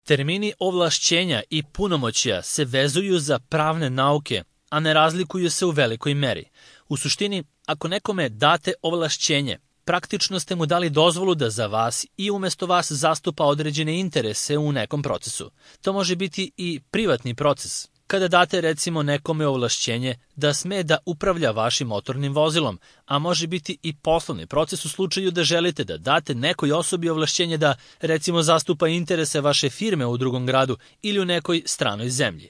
Termini ovlašćenja i punomoćja se vezuju za pravne nauke, a ne razlikuju se u velikoj meri. U suštini, ako nekome date ovlašćenje, praktično ste mu dali dozvolu da za vas i umesto vas zastupa određene interese u nekom procesu. To može biti i privatni proces. Kada date recimo nekome ovlašćenje da sme da upravlja vašim motornim vozilom, a može biti i poslovni proces u slučaju da želite da date nekoj osobi ovlašćenje da recimo zastupa interese vaše firme u drugom gradu ili u nekoj stranoj zemlji.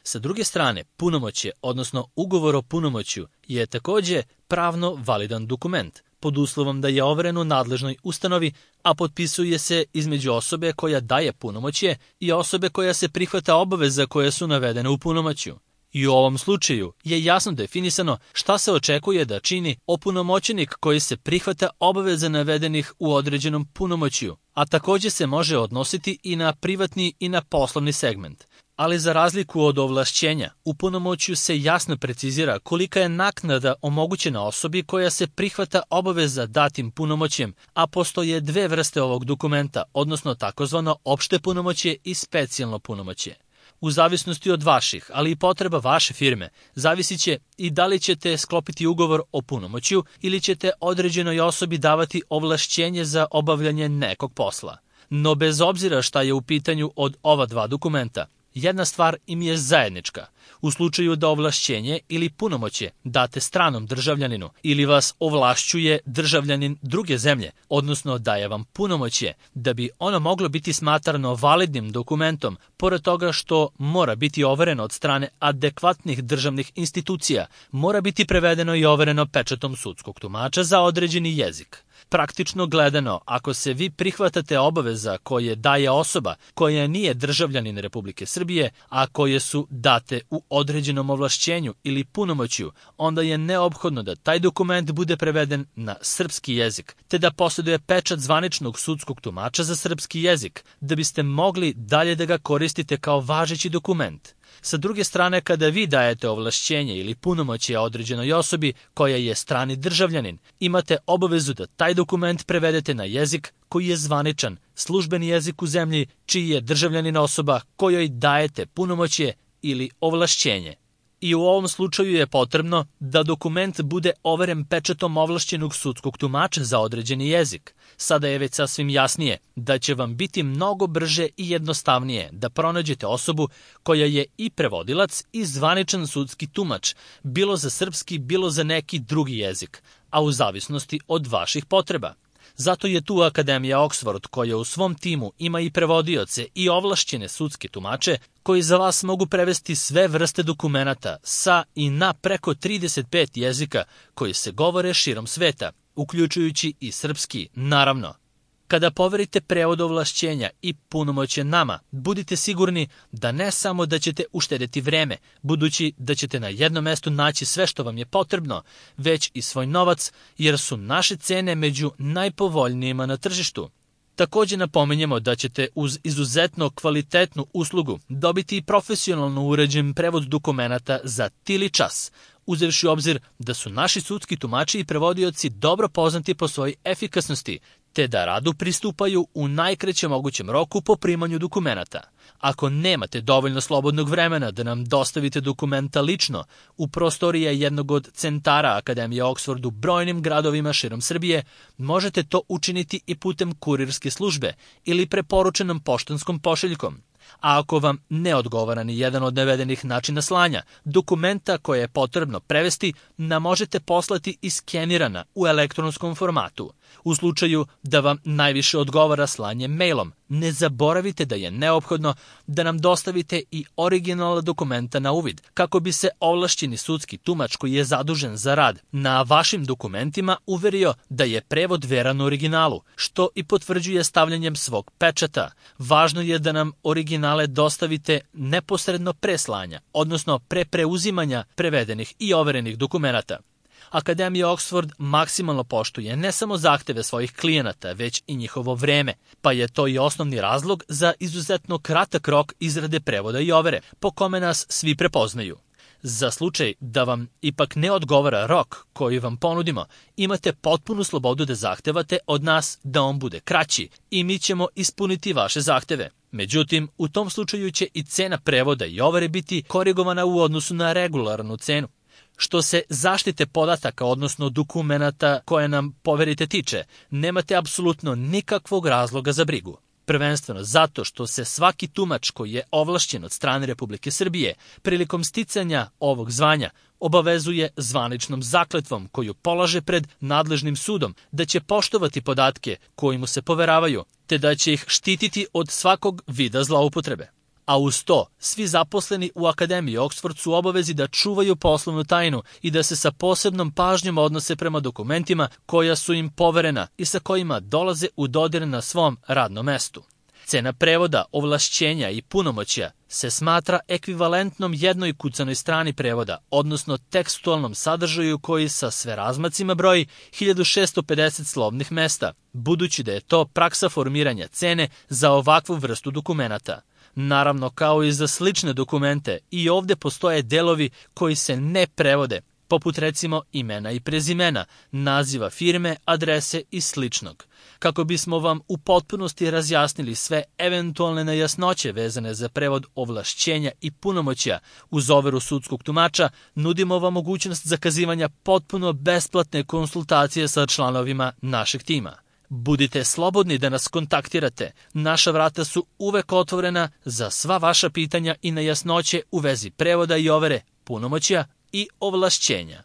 Sa druge strane, punomoćje, odnosno ugovor o punomoćju, je takođe pravno validan dokument, pod uslovom da je overen u nadležnoj ustanovi, a potpisuje se između osobe koja daje punomoćje i osobe koja se prihvata obaveza koje su navedene u punomoćju. I u ovom slučaju je jasno definisano šta se očekuje da čini opunomoćenik koji se prihvata obaveza navedenih u određenom punomoćju, a takođe se može odnositi i na privatni i na poslovni segment. Ali za razliku od ovlašćenja, u punomoćju se jasno precizira kolika je naknada omogućena osobi koja se prihvata obaveza datim punomoćjem, a postoje dve vrste ovog dokumenta, odnosno takozvano opšte punomoćje i specijalno punomoćje. U zavisnosti od vaših, ali i potreba vaše firme, zavisit će i da li ćete sklopiti ugovor o punomoćju ili ćete određenoj osobi davati ovlašćenje za obavljanje nekog posla. No bez obzira šta je u pitanju od ova dva dokumenta, jedna stvar im je zajednička. U slučaju da ovlašćenje ili punomoćje date stranom državljaninu ili vas ovlašćuje državljanin druge zemlje, odnosno daje vam punomoćje, da bi ono moglo biti smatrano validnim dokumentom, pored toga što mora biti overeno od strane adekvatnih državnih institucija, mora biti prevedeno i overeno pečatom sudskog tumača za određeni jezik. Praktično gledano, ako se vi prihvatate obaveza koje daje osoba koja nije državljanin Republike Srbije, a koje su date u određenom ovlašćenju ili punomoćju, onda je neophodno da taj dokument bude preveden na srpski jezik, te da posjeduje pečat zvaničnog sudskog tumača za srpski jezik, da biste mogli dalje da ga koristite kao važeći dokument. Sa druge strane, kada vi dajete ovlašćenje ili punomoćje određenoj osobi koja je strani državljanin, imate obavezu da taj dokument prevedete na jezik koji je zvaničan, službeni jezik u zemlji čiji je državljanin osoba kojoj dajete punomoćje ili ovlašćenje. I u ovom slučaju je potrebno da dokument bude overen pečatom ovlašćenog sudskog tumača za određeni jezik. Sada je već sasvim jasnije da će vam biti mnogo brže i jednostavnije da pronađete osobu koja je i prevodilac i zvaničan sudski tumač, bilo za srpski, bilo za neki drugi jezik, a u zavisnosti od vaših potreba. Zato je tu Akademija Oxford koja u svom timu ima i prevodioce i ovlašćene sudske tumače koji za vas mogu prevesti sve vrste dokumenata sa i na preko 35 jezika koji se govore širom sveta, uključujući i srpski, naravno. Kada poverite prevod ovlašćenja i punomoćje nama, budite sigurni da ne samo da ćete uštedeti vreme, budući da ćete na jednom mestu naći sve što vam je potrebno, već i svoj novac, jer su naše cene među najpovoljnijima na tržištu. Takođe napominjemo da ćete uz izuzetno kvalitetnu uslugu dobiti i profesionalno uređen prevod dokumenata za tili čas, uzevši u obzir da su naši sudski tumači i prevodioci dobro poznati po svojoj efikasnosti, te da radu pristupaju u najkraćem mogućem roku po primanju dokumenata. Ako nemate dovoljno slobodnog vremena da nam dostavite dokumenta lično, u prostoriji jednog od centara Akademije Oxford u brojnim gradovima širom Srbije, možete to učiniti i putem kurirske službe ili preporučenom poštanskom pošiljkom. A ako vam ne odgovara ni jedan od navedenih načina slanja, dokumenta koje je potrebno prevesti nam možete poslati iskenirana u elektronskom formatu. U slučaju da vam najviše odgovara slanje mailom, ne zaboravite da je neophodno da nam dostavite i original dokumenta na uvid, kako bi se ovlašćeni sudski tumač koji je zadužen za rad na vašim dokumentima uverio da je prevod veran originalu, što i potvrđuje stavljanjem svog pečata. Važno je da nam originale dostavite neposredno pre slanja, odnosno pre preuzimanja prevedenih i overenih dokumenata. Akademija Oxford maksimalno poštuje ne samo zahteve svojih klijenata, već i njihovo vreme, pa je to i osnovni razlog za izuzetno kratak rok izrade prevoda i overe, po kome nas svi prepoznaju. Za slučaj da vam ipak ne odgovara rok koji vam ponudimo, imate potpunu slobodu da zahtevate od nas da on bude kraći i mi ćemo ispuniti vaše zahteve. Međutim, u tom slučaju će i cena prevoda i overe biti korigovana u odnosu na regularnu cenu. Što se zaštite podataka, odnosno dokumenata koje nam poverite tiče, nemate apsolutno nikakvog razloga za brigu. Prvenstveno zato što se svaki tumač koji je ovlašćen od strane Republike Srbije prilikom sticanja ovog zvanja obavezuje zvaničnom zakletvom koju polaže pred nadležnim sudom da će poštovati podatke koji mu se poveravaju, te da će ih štititi od svakog vida zloupotrebe. A uz to, svi zaposleni u Akademiji Oxford su obavezi da čuvaju poslovnu tajnu i da se sa posebnom pažnjom odnose prema dokumentima koja su im poverena i sa kojima dolaze u dodir na svom radnom mestu. Cena prevoda, ovlašćenja i punomoćja se smatra ekvivalentnom jednoj kucanoj strani prevoda, odnosno tekstualnom sadržaju koji sa sve razmacima broji 1650 slovnih mesta, budući da je to praksa formiranja cene za ovakvu vrstu dokumenata. Naravno, kao i za slične dokumente, i ovde postoje delovi koji se ne prevode, poput recimo imena i prezimena, naziva firme, adrese i sličnog. Kako bismo vam u potpunosti razjasnili sve eventualne nejasnoće vezane za prevod ovlašćenja i punomoćja uz overu sudskog tumača, nudimo vam mogućnost zakazivanja potpuno besplatne konsultacije sa članovima našeg tima. Budite slobodni da nas kontaktirate. Naša vrata su uvek otvorena za sva vaša pitanja i nejasnoće u vezi prevoda i overe, punomoćja i ovlašćenja.